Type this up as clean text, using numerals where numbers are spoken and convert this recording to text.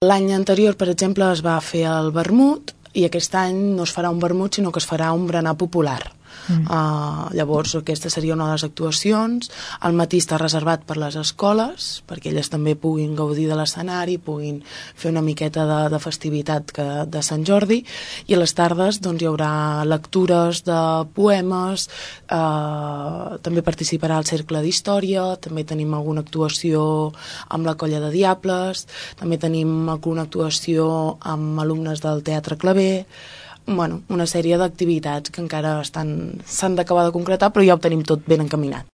L'any anterior, per exemple, es va fer el vermut i aquest any no es farà un vermut, sinó que es farà un berenar popular. Llavors aquesta seria una de les actuacions. Al matí està reservat per les escoles perquè elles també puguin gaudir de l'escenari, puguin fer una miqueta de festivitat de Sant Jordi, i a les tardes doncs, hi haurà lectures de poemes, també participarà el Cercle d'Història, també tenim alguna actuació amb la Colla de Diables, també tenim alguna actuació amb alumnes del Teatre Claver. Bueno, una sèrie d'activitats que encara s'han d'acabar de concretar, però ja ho tenim tot ben encaminat.